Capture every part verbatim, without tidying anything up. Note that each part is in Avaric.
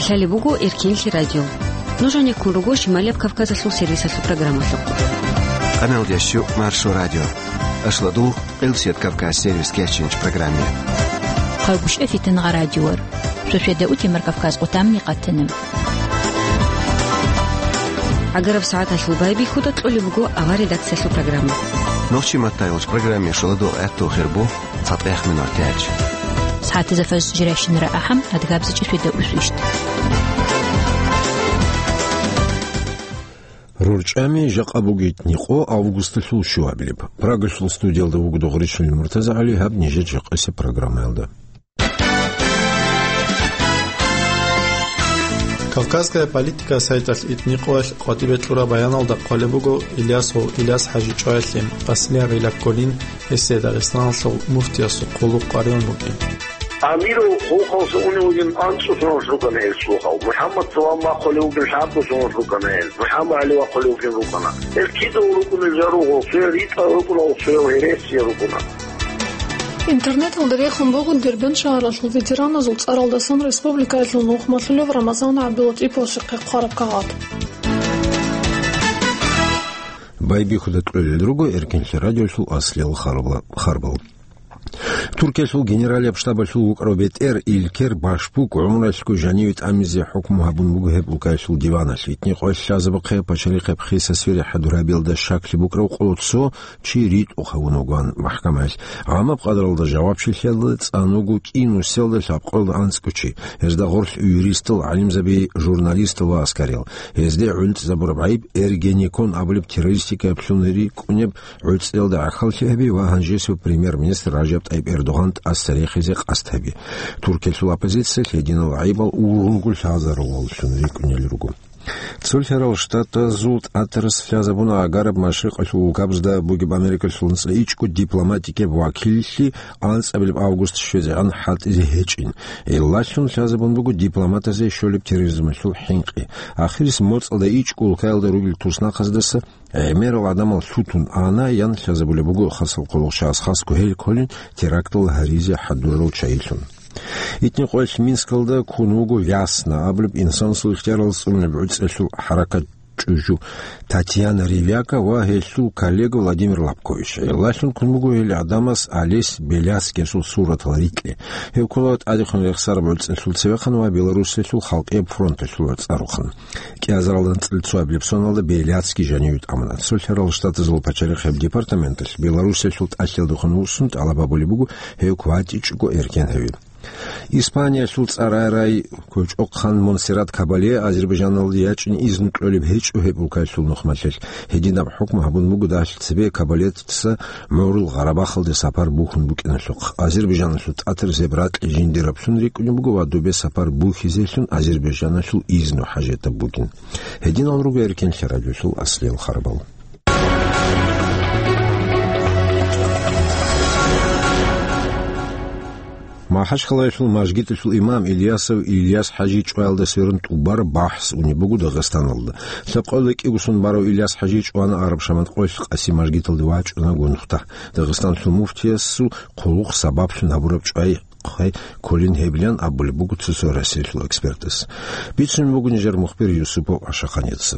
Лъалеб буго Эркенлъи радио. Нуж гьанеккун руго Шималияб Кавказалъул сервисалъул программалъухъ. Къаналдящу Маршо радио. Ашладул Къилсият Кавказ сервис кечинч программе. Хъалгушев Фитнагъа радиор. Шошведа утимар Кавказ къутамни къатана. Агараб сагӀаталъул байбихьуда кьолеб буго авар редакциялъул программа. Нохчи маттайолч программе шоладо гӀатту хирбу. ЦатӀех минутач. СагӀатазда фаз жиращинара ахӀам, адгабзичӀ шведа усвищт. РурчӀами жакъа бугит никъо августалъул щуабилеб. Прагалъул студиялда вугода Гъуришулин МуртазагӀали, гьаб нижер жакъасеб программаялда. Кавказская политика сайталъ итникъоялъ къватӀибе кьураб баяналда хъвалеб буго Ильясов Ильяс ХӀажи чӀваялъе, аслияб гӀилла кколин, гьесие Дагъистаналъул муфтиясул хъулухъ къваригӀун букӀин. Амиров хъулухъалъуса унев вугин анцӀго соналъ рукӀана гьел цо хал. МухӀаммад Салам вахъулев вугин лъабго соналъ рукӀана гьел. МухӀаммад ГӀали вахъулев вугин рукӀана. Гьел кидаго рукӀунел жал руго, цоял ритӀа рукӀуна, цоял гьересия рукӀуна. Интернеталда рехун буго Дербент шагьаралъул ветераназул цӀаралдасан республикаялъул нухмалъулев Рамазан ГӀабдулатӀиповасухъе хъвараб кагъат. Байбихьуда кьолел руго Эркенлъи радиолъул аслиял харбал. Туркиялъул генералияб штабалъул вукӀарав бетӀер Илкер Башбук гӀумралъго жаниве тӀамизе хӀукму гьабун буго гьеб улкаялъул диваналъ. Итни къоялъ лъазабухъе пачалихъе хиса свере хӀадур гьабиялда щаклъи букӀарав къоло цо чи ритӀухъ гьавун вугоан махкамаялъ. Гьамаб къадралда жавабчилъиялда цӀануго кӀинусиялда лъабкъоялда анцӀго чи. Гьезда гъорлъ юристал, гӀалимзаби, журналистал ва аскариял. Гьезде гӀунтӀизабураб гӀайиб Эргенекон абулеб террористикаялъул рикӀкӀунеб гӀуцӀиялда гӀахьаллъи гьаби ва гьанжесев премьер-министр Ражаб ТӀайиб Эрдоган тӀаса рехизе къасд гьаби. Туркиялъул оппозициялъ гьединал гӀайибал ургъунго лъазаруллъун рикӀкӀунел руго. Цолъарал Штатазул тӀатарас лъазабуна агараб машрикъалъул улкабазда бугеб Америкалъул нуцӀа ичӀго дипломатикияб вакиллъи анцӀабилеб август щвезегӀан хӀалтӀизе гьечӀин. Гьелалъун лъазабун буго дипломатазе щолеб терроризмалъул хӀинкъи. Ахирис моцӀалда ичӀго улкаялда ругел туснахъаздаса гӀемерал гӀадамал лъутун ана, ян лъазабулеб буго хасал хъулухъчагӀаз, хасго гьел кколин терактал гьаризе хӀадурал чагӀилъун. Итни къоялъ Минскалда ккун вуго Вясна абулеб инсанасул ихтияралда цӀунеб гӀуцӀиялъул хӀаракат чӀужу Татьяна Ревяка ва гьелъул коллега Владимир Лобкович. Гьелалъун ккун буго гьел гӀадамас Олесь Беляцкиясул суратал рикье. Гьев ккола тӀадехун рехсараб гӀуцӀиялъул цевехъан ва Белоруссиялъул халкъияб фронталъул цӀарухъан. КӀиазаралда анцӀила цоабилеб соналда Беляцкий жаниве тӀамуна. Цолъарал Штатазул пачалихъияб департаменталъ Белоруссиялъул тӀалъиялдехун вуссун тӀалаб гьабулеб буго гьев кватӀичӀого эркен гьави. Испаниялъул цӀарарай кочӀохъан Монсеррат Кабале Азербайджаналде ячӀин изну кьолеб гьечӀо гьеб улкаялъул нухмалъелъ. Гьединаб хӀукму гьабун буго дагьлъи цебе Кабалецаца МугӀрул Гъарабахалде сапар бухьун букӀиналъухъ. Азербайджаналъул тӀатарас гьеб ракьи жиндираблъун рикӀкӀунеб буго ва дубе сапар бухьизелъун Азербайджаналъул изну хӀажатаб бугин. Гьединал руго Эркенлъи радиолъул аслиял харбал. МахӀачхъалаялъул мажгиталъул имам Ильясов Ильяс ХӀажи чӀваялда сверун тӀубараб бахӀс унеб буго Дагъистаналда. Лъабкъоялда кӀиго сон барав Ильяс ХӀажи чӀвана Араб Шамат къоялъ Къаси мажгиталде вачӀуна гунухда. Дагъистаналъул муфтиясул хъулухъ сабаблъун гьабураб чӀвай хъвай кколин гьебилан абулеб буго цо-цо Россиялъул экспертас. Бицун буго нижер мухбир Юсупов Ашаханица.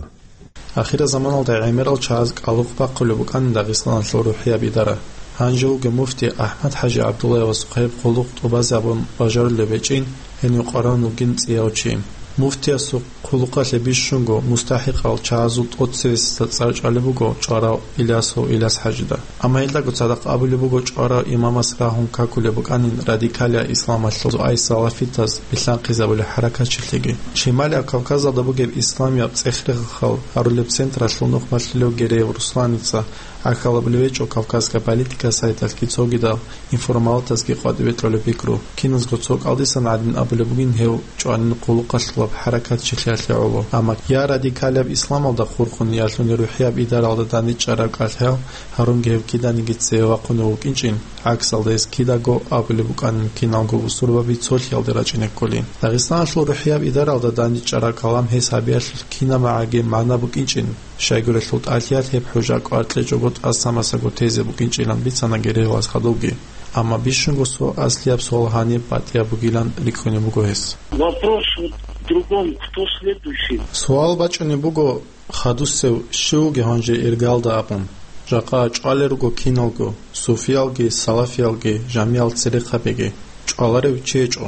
Ахирзаманалда гӀемерал чагӀаз кӀалухъ бахъулеб букӀана Дагъистаналъул рухӀияб идара. Гьанже вугев муфти АхӀмад-ХӀажи ГӀабдуллаевасухъе гьеб хъулухъ тӀубазабун бажарулев гьечӀин, гьенив къваригӀун вугин цӀияв чи. Муфтиясул хъулухъалъе бищунго мустахӀикъал чагӀазул тӀоцебесеб цӀар чӀвалеб буго чӀварав Ильясов Ильяс ХӀажида. Амма гьелдаго цадахъ абулеб буго чӀварав имамас рагьун какулеб букӀанин радикалияб исламалъул цоай салафитаз билълъанхъизабулеб хӀаракатчилъиги. Шималияб Кавказалда бугеб исламияб цӀех-рехал гьарулеб централъул нухмалъулев Гереев Русланица гӀахьалабулев гьечӀо «Кавказская политика» сайталъги цогидал информалатазги къватӀибе кьолеб пикру. Киназго цо кӀалдисан гӀадин абулеб бугин гьев чӀванин хъулухъалъулаб хӀаракатчилъиялъе гӀоло. Амма я радикалияб исламалда хурхун, я рухӀияб идаралда дандечӀараб кӀалъал гьарунги гьев киданиги цеве вахъунев вукӀинчӀин, гӀаксалда гьес кидаго абулеб букӀанин киналго бусурбаби цолъиялде рачӀине кколин. Дагъистаналъул рухӀияб идаралда дандечӀараб калам гьес гьабиялъул кинаб магӀаги магӀна букӀинчӀин, щайгурелъул тӀалъиялъ гьеб хӀужа кӀвар кьечӀого тӀаса-масаго тезе букӀинчӀилан бицана Гереевас хадубги. Амма бищунго цо аслияб суал гьаниб батӀияб бугилан рикӀкӀунеб буго гьес. Вопрос вот в другом, кто следующий? Суал бачӀунеб буго, хадусев щив вугев гьанже иргалда абун. Жакъа чӀвалел руго киналго, суфиялги, салафиялги, жамиял церехъабиги. ЧӀваларев чи гьечӀо.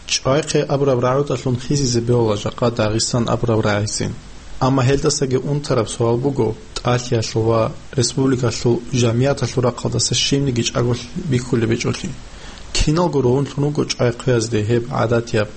ЧӀвайхъе абураб рагӀудалъун хисизе бегьула жакъа Дагъистан абураб рагӀицин. Амма гьелдасаги унтараб суал буго, тӀалъиялъул ва республикалъул жамияталъул рахъалдаса щибниги чӀаголъи бихьулеб гьечӀолъи. Киналго ругьунлъун руго чӀвайхъвеязде гьеб гӀадатияб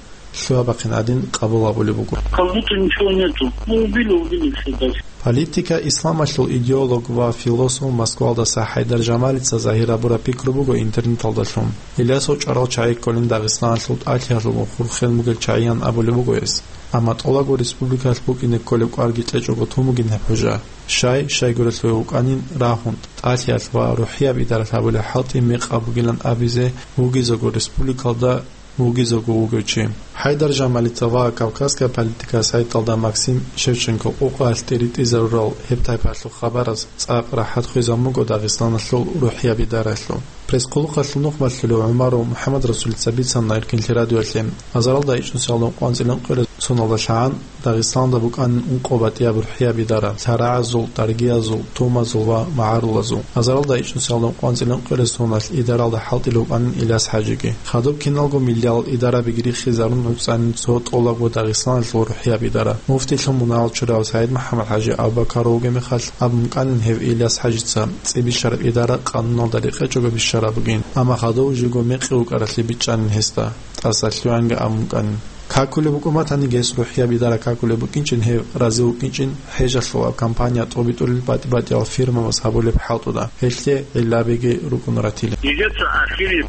лъугьа-бахъин гӀадин къабул гьабулеб буго. Как будто ничего нету. Ну, убили, убили, всё, дальше. Политика, исламалъул идеолог ва философ Москвалдаса ХӀайдар Жамалица загьир гьабураб пикру буго интернеталдалъун. Илясов чӀварал чагӀи кколин Дагъистаналъул тӀалъиялъулгун хурхен бугел чагӀиян абулеб буго гьес. Амма тӀолабго республикалъ букӀине кколеб кӀварги кьечӀого тун бугин гьеб хӀужа. Щай, щайгурелъуве вукӀанин рагьун, тӀалъиялъ ва рухӀияб идаралъ гьабулеб хӀалтӀи мекъаб бугилан абизе вугизего республикалда вугизего вугев чи. ХӀайдар Жамалица ва кавказская политика сайталда Максим Шевченко къукъаялъ тӀиритӀизарурал гьеб тайпаялъул хабараз цӀакъ рахӀат хвезабун буго Дагъистаналъул рухӀияб идаралъул. Пресс-хъулухъалъул нухмалъулев ГӀумаров МухӀаммадрасулица бицана Эркинлъи радиоялъе, азаралда ичӀнусиялда ункъоялда цӀикӀкӀинаб соналда лъагӀан Дагъистаналда букӀанин ункъо батӀияб рухӀияб идара, лъарагӀазул, даргиязул, тумазул ва магӀарулазул. Азаралда ичӀнусиялда ункъоялда цӀикӀкӀинаб соналъ идаралда хӀалтӀулев вукӀанин Иляс ХӀажиги. Хадуб киналго миллиял идарабиги риххизарун гӀуцӀанин цо тӀолабго Дагъистаналъул рухӀияб идара. Муфтилъун мунагьал чурав СагӀид МухӀаммад ХӀажи Абу-Бакаров вугеб мехалъ абун букӀанин гьев Иляс ХӀажица цӀи бищараб идара къануналда рекъечӀого бищараб бугин, амма хадув жего мекъи вукӀаралъе бичӀчӀанин гьесда, тӀаса лъугӀанги абун букӀанин. Какулеб букӀун батаниги гьес рухӀияб идара какулеб букӀинчӀин, гьев рази вукӀинчӀин, хӀежалъул гьаб кампания тӀобитӀулел батӀи-батӀиял фирмабаз гьабулеб хӀалтӀуда, гьелъе гӀиллабиги рукӀун ратила. Нижеца ахири, э,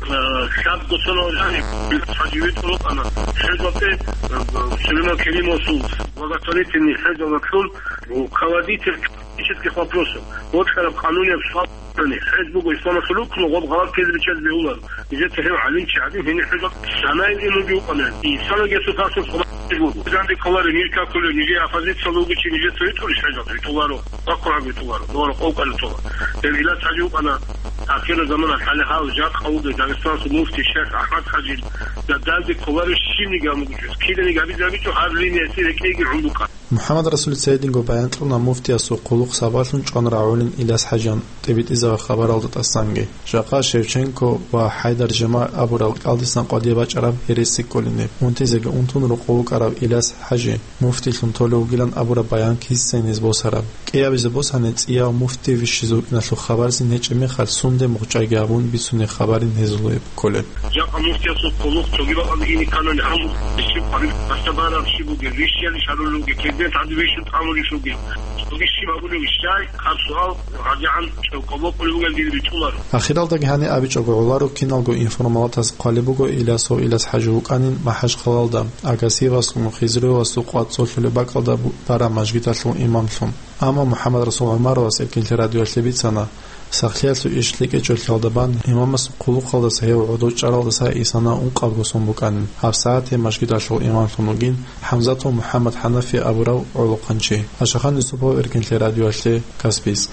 лъабго соналъ жаниб, ХӀажи витӀун вукӀана, хӀежалде, э, Сулейман Керимовасул благотворительный хӀежалъун руководитель политических вопросов, вокьараб къанунияб суал, хӀеж буго исламалъул рукну, гъоб гъалатӀ ккезе биччазе бегьуларо. Нижеца гьев гӀалимчи гӀадин гьенир хӀежал санаил гӀелмуги вукӀана. Инсанги гьесул тасир хъубазе буго. Жанде кколаро, ниж какулев, нижее оппозициялда вугев чи нижеца витӀулищ хӀежал? ВитӀуларо, баккун гьаб витӀуларо, дора къокъалъе тола. Гьев Иляс ХӀажи вукӀана ахиру заманалъ, гьале гьав жакъа вугев Дагъистаналъул муфти шейх АхӀмад ХӀажи, да данде кколаро щибниги гьамугучӀес. Киданиги гьабизе гьабичӀо, гьаб линиялъе рекӀейги гӀун букӀана. МухӀаммад Расулица гьединго баян кьуна муфтиясул хъулухъ сабаблъун чӀван рагӀулин Иляс ХӀажиян тӀибитӀизаб хабаралда тӀасанги. Жакъа Шевченко ва ХӀайдар Жамал абурал кӀалдисан къватӀибе бачӀараб гьереси кколин гьеб. Унтизеги унтун рокъов вукӀарав Иляс ХӀажи муфтилъун толев вугилан абураб баян кисайин гьез босараб. КӀиабизе босани, цӀияв муфти вищизе вукӀиналъул хабарзин гьечӀеб мехалъ, сунде мухъчӀайги гьабун бицунеб хабарин гьезулеб кколеб. Жакъа муфтиясул хъулухъ цоги бакӀалде ине кканани, гьав муфти щиб къвариб, бащтабараб щиб бугеб, вищиялищ гьарулев вугев, президент гьадин вищун тӀамулищ вугев, цоги щиб гьабулев ищай, гьаб суал гьадигӀан чӀевкъабулеб бугин дир ритӀуларо. Ахиралдаги гьаниб абичӀого гӀоларо, киналго информалатаз хъвалеб буго Илясов Иляс ХӀажи вукӀанин МахӀажхъалалда, Агасиевасул, Хизруевасул къват цолъулеб бакӀалда бу-, бараб мажгиталъул имамлъун. Амма МухӀаммадрасул ГӀумаровас Эркинлъи радиоялъе бицана, сахлъиялъул иш лъикӀичӀолъиялда бан имамасул хъулухъалдаса гьев гӀодов чӀаралдаса исана ункъабго сон букӀанин, гьабсагӀат гьеб мажгиталъул имамлъун вугин ХӀамзатов МухӀаммад ХӀанафи абурав гӀолохъанчи. Ашахан Юсупов, Эркинлъи радиоялъе, Каспийск.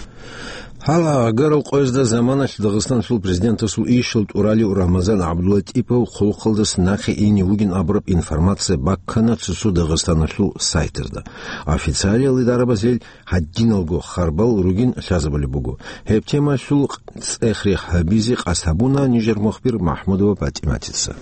Гьала агарал къоязда заманалъ Дагъистаналъул президентасул ишал тӀуралев Рамазан ГӀабдуллатӀипов хъулухъалдаса нахъе ине вугин абураб информация баккана цо-цо Дагъистаналъул сайтазда. Официалиял идарабаз гьел гьадиналго харбал ругин лъазабулеб буго. Гьеб темалъул цӀех-рех гьабизе къасд гьабуна нижер мухбир МахӀмудова ПатӀиматица.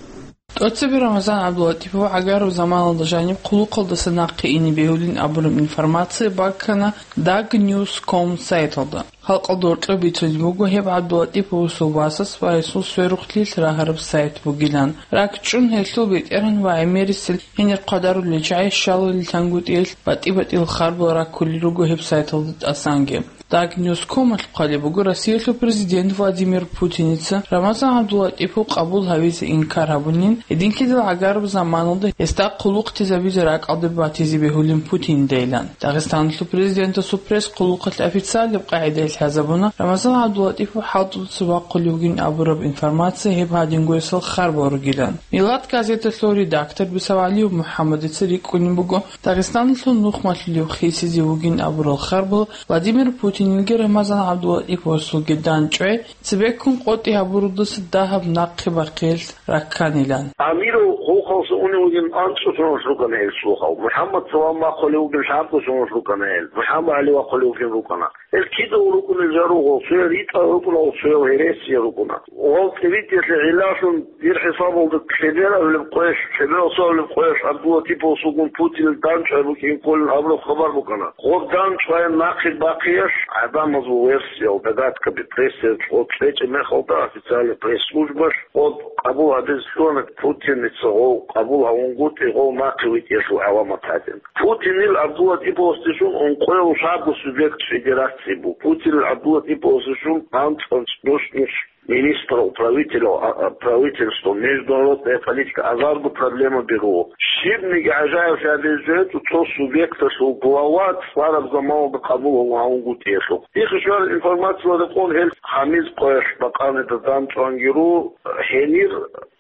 ТӀоцебе Рамазан ГӀабдулатӀипов гӀагараб заманалда жаниб хъулухъалдаса нахъе ине бегьулин абураб информация баккана Даг Ньюс ком сайталда. Халкъалда гьоркьоб бицунеб буго гьеб ГӀабдулатӀиповасул васас ва гьесул сверухълъилъ рагьараб сайт бугилан. РакӀчӀун гьелъул бетӀергьан ва гӀемерисел гьенир хъвадарулел чагӀи щалалил тангутӀиялъ батӀи-батӀиял харбал раккулел руго гьеб сайталда тӀасанги. Даг Ньюс комалъ хъвалеб буго, Россиялъул президент Владимир Путиница Рамазан ГӀабдулатӀипов къабул гьавизе инкар гьабунин, гьединлъидал гӀагараб заманалда гьесда хъулухътизабизе ракӀалде батизе бегьулин Путинидайилан. Дагъистаналъул президентасул пресс-хъулухъалъ официалаб къагӀидаялъ лъазабуна Рамазан ГӀабдулатӀипов хӀалтӀудаса вахъулев вугин абураб информация гьеб гьадингоясал харбал ругилан. Миллат газеталъул редактор Бисавалиев МухӀаммадица рикӀкӀунеб буго, Дагъистаналъул нухмалъулев хисизе вугин абурал харбал Владимир Путин Гьединлги Рамазан ГӀабдулатӀиповасулги данчӀвай цебеккун къотӀи гьабурудаса дагьаб нахъе бахъиялъ ракканилан. Амиров хъулухъалдаса унев вугин анцӀго соналъ рукӀана гьел цо хал. МухӀаммад Салам вахъулев вугин лъабго соналъ рукӀана гьел. МухӀаммад ГӀали вахъулев вугин рукӀана. Гьел кида рукӀунел жо руго, цоял ритӀа рукӀуна, цоял гьересия рукӀуна. Гъов цевидиялъе гӀиллалъун дир хӀисабалда лъебераб гьеб къоялъ, лъеберал суаб гьеб къоялъ ГӀабдулатӀиповас вугун Путинил данчӀвай букӀин кколин абураб хабар букӀана. Гъоб данчӀвай нахъе бахъиялъ гӀадамазул версиял, догадка, пресса гъоб кьечӀеб мехалда официальный пресс-службалъ гъоб къабул гьабизе лъугьана Путиница гъов къабул гьавунгутӀи гъов нахъе витӀиялъул гӀаламат гьадин. Путинил ГӀабдулатӀиповасдешун ункъояв лъабго субъект федерации буго. Путинил ГӀабдулатӀиповасдешун анцӀ-анцӀ нус-нус министрал, правителал, а, а, правительство, международная политика, азарго проблема беру. Щибниги гӀажаиблъи гьабизе гьечӀо цо субъекталъул глава цӀараб заманалда къабул гьавунгутӀиялъул. Ихъ щвараб информациялда рекъон гьел гьамиз къоялъ бакъанида данчӀванги ру, гьенир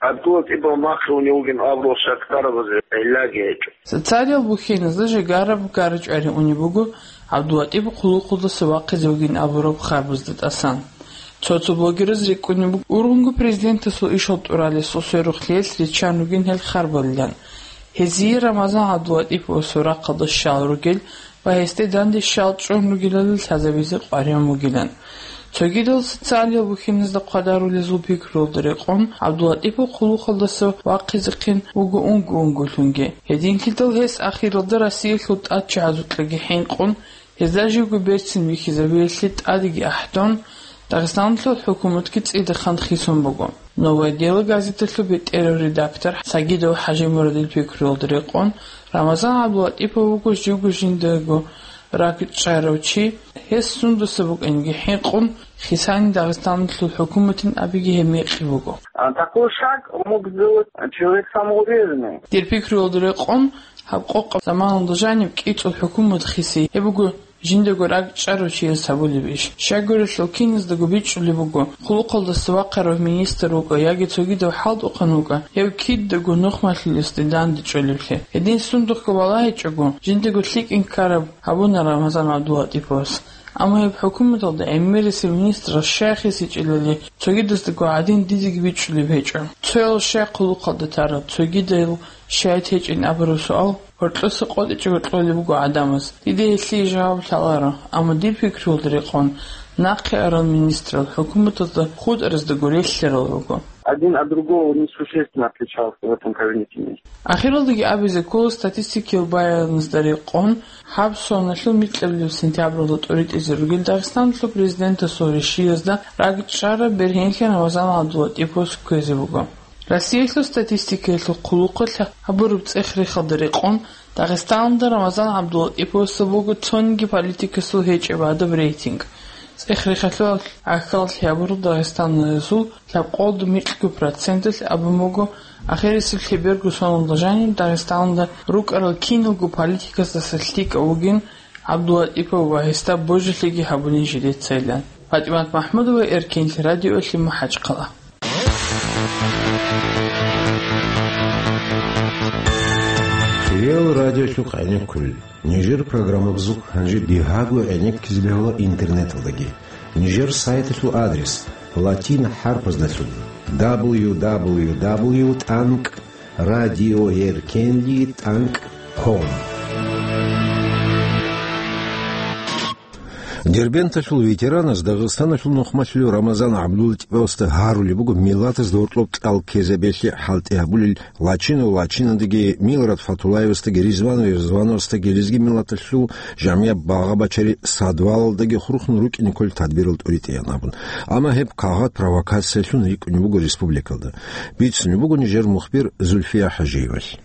ГӀабдулатӀипов нахъе унев вугин абурал шакдарабазе гӀиллаги гьечӀо. Социалияб бухьиназда жегараб гарачӀвари унеб буго ГӀабдулатӀипов хъулухъалдаса вахъизе вугин абураб харбазда тӀасан. Цо-цо блогераз рикӀкӀунеб буго, ургъунго президентасул ишал тӀуралесул сверухълъиялъ риччан ругин гьел харбалилан. Гьезие Рамазан ГӀабдулатӀиповасул рахъалда щал ругел ва гьесде данде щал чӀун ругелалда лъазабизе къваригӀун бугилан. Цогидал социалияб бухьиназда хъвадарулезул пикруялда рекъон, ГӀабдулатӀипов хъулухъалдаса вахъизехъин вуго унго-унголъунги. Гьединлъидал гьес ахиралда Россиялъул тӀадчагӀазукьаги хӀинкъун, гьезда живго берцин вихьизабиялъе тӀадеги ахӀдон, Дагъистаналъул хӀукуматги цӀидахъан хисун буго. «Новое дело» газеталъул бетӀерав редактор Сагидов ХӀажимурадил пикруялда рекъон, Рамазан ГӀабдулатӀипов вуго живго жиндаго ракӀчӀарав чи, гьес сундаса букӀинги хӀинкъун, хисани Дагъистаналъул хӀукуматин абиги гьеб мекъи буго. А такой шаг мог сделать человек самоуверенный. Дир пикруялда рекъон, гьаб къокъаб заманалда жаниб кӀицӀул хӀукумат хиси, гьеб буго жиндаго ракӀчӀарав чияс гьабулеб иш. Щайгурелъул киназдаго бичӀчӀулеб буго, хъулухъалдаса вахъарав министр вукӀа яги цогидав хӀалтӀухъан вукӀа, гьев кидаго нухмалъулесде данде чӀолеблъи. Гьедин сундухъго балагьичӀого, жиндаго лъикӀин ккараб гьабуна Рамазан ГӀабдулатӀиповас. Амма гьеб хӀукуматалда гӀемерисев министрас щай хисичӀелали, цогидаздаго гӀадин дидеги бичӀчӀулеб гьечӀо. Цоял щай хъулухъалда тараб, цогидал щай течӀин абураб суал гьоркьоса къотӀичӀого кьолеб буго гӀадамаз. Дида гьелъие жаваб лъаларо, амма дир пикруялда рекъон, нахъе арал министрал хӀукуматалда хутӀараздаго релълъарал руго. Один от другого несущественно отличался в этом кабинете. Ахиралдаги абизе ккола статистикиял баяназда рекъон, гьаб соналъул микьабилеб сентябралда тӀуритӀизе ругел Дагъистаналъул президентасул ришиязда ракӀчӀараб бергьенлъи Рамазан ГӀабдулатӀиповас кквезе буго. Россиялъул статистикаялъул хъулухъалъ гьабураб цӀех-рехалда рекъон, Дагъистаналда Рамазан ГӀабдулатӀиповасул буго цониги политикасул гьечӀеб гӀадаб рейтинг. ЦӀех-рехалъул гӀахьаллъи гьабураб дагъистанлъиязул лъабкъолда микьго проценталъ абун буго, ахирисеб лъеберго соналда жаниб Дагъистаналда рукӀарал киналго политикасдаса лъикӀав вугин ГӀабдулатӀипов ва гьесда божилъиги гьабунин жидецайилан. ПатӀимат МахӀмудова, Эркенлъи радиолъи, МахӀачхъала. Реал радиолъухъ гӀенеккулел. Нижер программабазухъ гьанже дигьаго гӀенеккизе бегьула интернеталдаги. Нижер сайталъул адрес латин хӀарпаздалъун: дабл ю дабл ю дабл ю тӀанкӀ радиоэркенли тӀанкӀ ком. Дербенталъул ветеранас Дагъистаналъул нухмалъулев Рамазан ГӀабдулатӀиповасда гьарулеб буго миллатазда гьоркьоб кьал ккезабиялъе хӀалтӀи гьабулел Лачинов Лачинандаги, Милрат Фатулаевасдаги, Ризван Ризвановасдаги, лезги миллаталъул жамгӀияб багъа-бачари садвалалдаги хурхун рукӀине кколел тадбирал тӀуритӀеян абун. Амма гьеб кагъат провокациялъун рикӀкӀунеб буго республикалда. Бицунеб буго нижер мухбир Зульфия ХӀажиевалъ.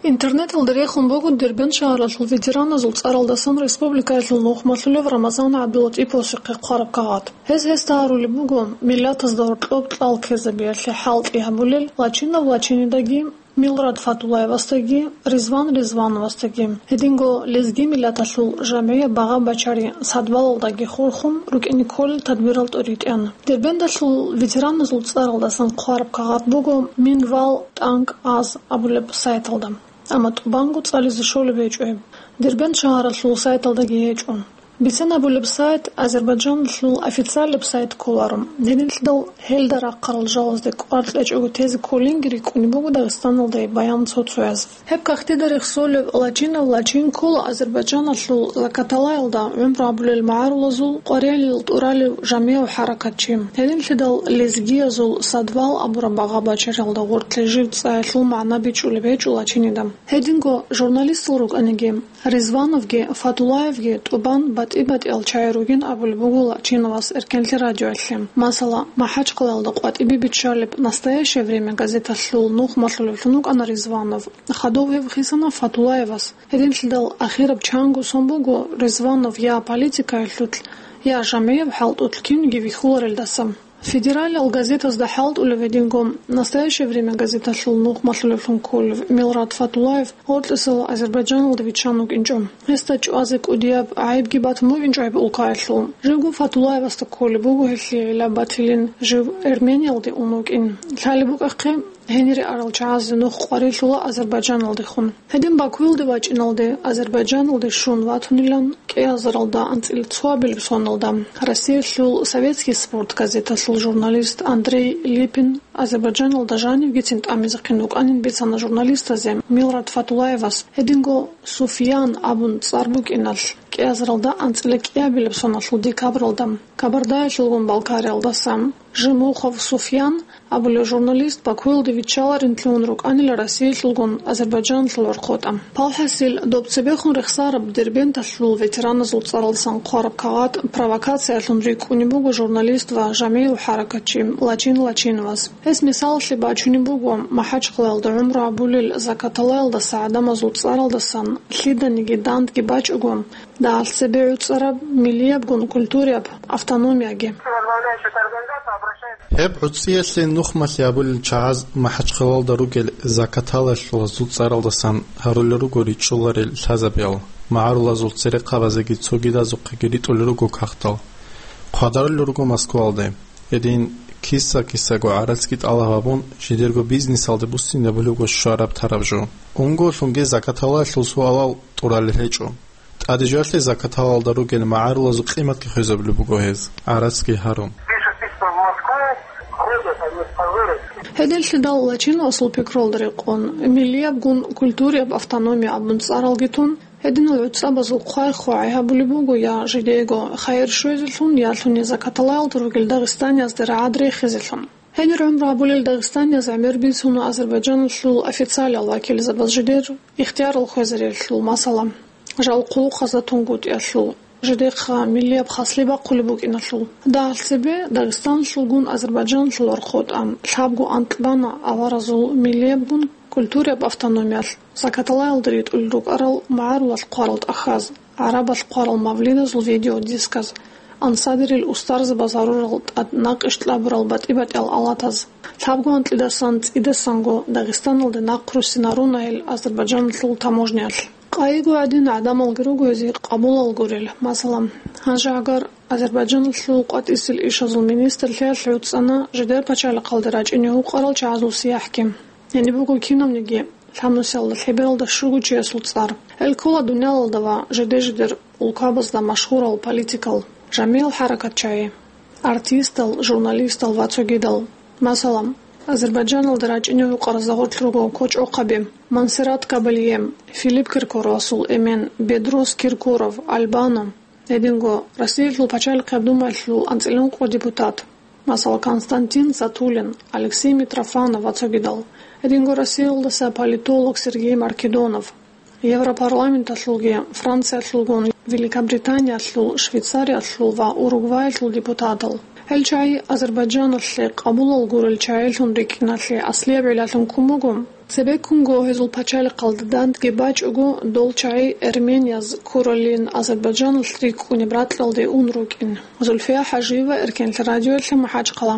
Интернеталда рехун буго Дербент шагьаралъул ветераназул цӀаралдасан республикаялъул нухмалъулев Рамазан ГӀабдулатӀиповасухъе хъвараб кагъат. Гьез гьесда гьарулеб буго миллатазда гьоркьоб кьал ккезабиялъе хӀалтӀи гьабулел Лачинов Лачинидаги, Милрат Фатулаевасдаги, Ризван Ризвановасдаги. Гьединго лезги миллаталъул жамгӀияб багъа-бачари садвалалдаги хурхун рукӀине кколел тадбирал тӀуритӀеян. Дербенталъул ветераназул цӀаралдасан хъвараб кагъат буго Минвал тӀанкӀ аз абулеб сайталда. Амма тӀубанго цӀализе щолеб гьечӀо гьеб. Дербент шагьаралъул сайталдаги гьечӀо. Бицанабулеб сайт Азербайджаналъул официалаб сайт кколаро. Гьединлъидал гьелда рахъарал жалазде кӀвар кьечӀого тезе кколинги рикӀкӀунеб буго Дагъистаналда баян цо-цояз. Гьеб кагътида рехсолеб лачинав лачин ккола Азербайджаналъул Закаталаялда гӀумру гьабулел магӀарулазул къварилъи тӀуралев жамигӀав хӀаракатчи. Гьединлъидал лезгиязул садвал абураб багъа-бачаралда гъоркье жив цӀаялъул магӀна бичӀчӀулеб гьечӀо лачинида. Гьединго журналистал рукӀаниги, Ризвановги Фатулаевги тӀубан батӀи-батӀиял чагӀи ругин абулеб буго Лачиновас Эркенлъи радиоялъе. Масала, МахӀачхъалаялда къватӀибе биччалеб «Настоящее время» газеталъул нухмалъулевлъун вукӀана Ризванов. Хадув гьев хисана Фатулаевас. Гьединлъидал ахираб чанго сон буго Ризванов я политикаялъулъ, я жамигӀаб хӀалтӀулъ кинги вихьуларелдаса. Федералиал газетазда хӀалтӀулев гьединго «Настоящее время» газеталъул нухмалъулевлъун кколев Милрат Фатулаев гъоркьисел Азербайджаналда виччан вукӀинчӀо. Гьесда чӀвазе кӀудияб гӀайибги батун букӀинчӀо гьеб улкаялъул. Живго Фатулаевасда кколеб буго гьелъие гӀилла батилин жив Эрмениялде ун вукӀин. Лъалеб букӀахъе, гьенире арал чагӀазе нух къварилъула Азербайджаналдехун. Гьедин Бакуялде вачӀиналде, Азербайджаналде щун ватунилан, кӀиазаралда анцӀила цоабилеб соналда Россиялъул «Советский спорт» газеталъул журналист Андрей Липин Азербайджаналда жанивгицин тӀамизехъин вукӀанин бицана журналистазе Милрат Фатулаевас. Гьединго Суфьян абун цӀар букӀиналъ, кӀиазаралда анцӀила кӀиабилеб соналъул декабралда Кабардаялъулгун Балкариялдаса Жемухов Суфьян абулев журналист Бакуялде виччаларин лъугьун рукӀанила Россиялъулгун Азербайджаналъул вархъотӀа. Палхасил доб цебехун рехсараб Дербенталъул ветераназул цӀаралдасан хъвараб кагъат провокациялъун рикӀкӀунеб буго журналист ва жамигӀав хӀаракатчи Лачин Лачиновас. Гьес мисалалъе бачунеб буго МахӀачхъалаялда гӀумру гьабулел Закаталаялдаса гӀадамазул цӀаралдасан лъиданиги дандги бачӀого, дагьалъ цебе гӀуцӀараб миллиябгун культурияб автономияги. Гьеб гӀуцӀиялъе нухмалъи гьабулел чагӀаз МахӀачхъалаялда ругел Закаталаялъулазул цӀаралдасан гьарулел руго ричӀчӀуларел лъазабиял, магӀарулазул церехъабазеги цогидазухъеги ритӀулел руго кагътал. Хъвадарулел руго Москваялде. Гьедин киса-кисаго гӀарацги тӀалаб гьабун, жидерго бизнесалде буссинабулебго щвараб-тараб жо. Унголъунги Закаталаялъул суалал тӀуралел гьечӀо. ТӀаде жоялъе Закаталаялда ругел магӀарулазул къиматги хвезабулеб буго гьез, гӀарацги гьарун. Гьединлъидал Лачиновасул пикруялда рекъон, миллиябгун культурияб автономия абун цӀаралги тун, гьединал гӀуцӀабазул хъвай-хъвагӀи гьабулеб буго я жидеего хайир щвезелъун, я лъуни Закаталаялда ругел дагъистаниязде рагӀад рехизелъун. Гьенир гӀумру гьабулел дагъистанияз гӀемер бицуна Азербайджаналъул официалиял вакилзабаз жидер ихтиярал хвезариялъул, масала, жал хъулухъазда тунгутӀиялъул, жидехъа миллияб хаслъи бахъулеб букӀиналъул. Дагьалъ цебе Дагъистаналъулгун Азербайджаналъул вархъотӀа лъабго анкь бана аваразул миллиябгун культурияб автономиялъ, Закаталаялда ритӀулел рукӀарал магӀарулал хъварал тӀахьаз, гӀарабал хъварал мавлидазул видеодисказ, ансадерил устарзабаз гьарурал тӀад накъиш кьабурал батӀи-батӀиял алатаз. Лъабго анкьидасан цӀидасанго Дагъистаналде нахъруссинарунайил Азербайджаналъул таможниялъ. Къайиго гӀадин гӀадамалги руго гьезие къабулал гурел. Масала, гьанже гьагар Азербайджаналъул къватӀисел ишазул министрлъиялъ гӀуцӀана жидер пачалихъалде рачӀине гьукъарал чагӀазул сияхӀги. Гьениб буго кинавниги лъабнусиялда лъебералда щуго чиясул цӀар. Гьел ккола дунялалда ва жиде-жидер улкабазда машгьурал политикал, жамигӀал хӀаракатчагӀи, артистал, журналистал ва цогидал. Масала, Азербайджаналда рачӀине гьукъарал загьурлъ руго кочӀохъаби Монсеррат Кабалье, Филипп Киркоровасул эмен Бедрос Киркоров, Албано. Гьединго Россиялъул пачалихъияб думаялъул анцӀила ункъо депутат, масала, Константин Затулин, Алексей Митрофанов ва цогидал. Гьединго Россиялдаса политолог Сергей Маркедонов, Европарламенталъулги, Франциялъулгун, Великобританиялъул, Швейцариялъул ва Уругваялъул депутатал. Гьел чагӀи Азербайджаналъе къабулал гурел чагӀилъун рикӀкӀиналъе аслияб гӀиллалъун ккун буго. Цебеккунго гьезул пачалихъалда дандги бачӀого, дол чагӀи эрменияз ккуралин Азербайджаналъ рикӀкӀунеб ракьалде ун рукӀин. Зульфия ХӀажиева, Эркенлъи радиоялъе, МахӀачхъала.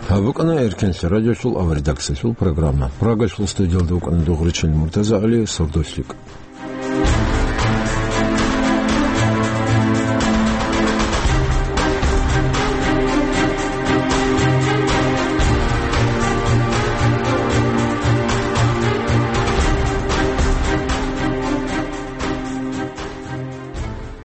Гьаб букӀана Эркенлъи радиолъул аваридаксалъул программа. Прагалъул студиялда вукӀана Дугъричил МуртазагӀали, сордослъи.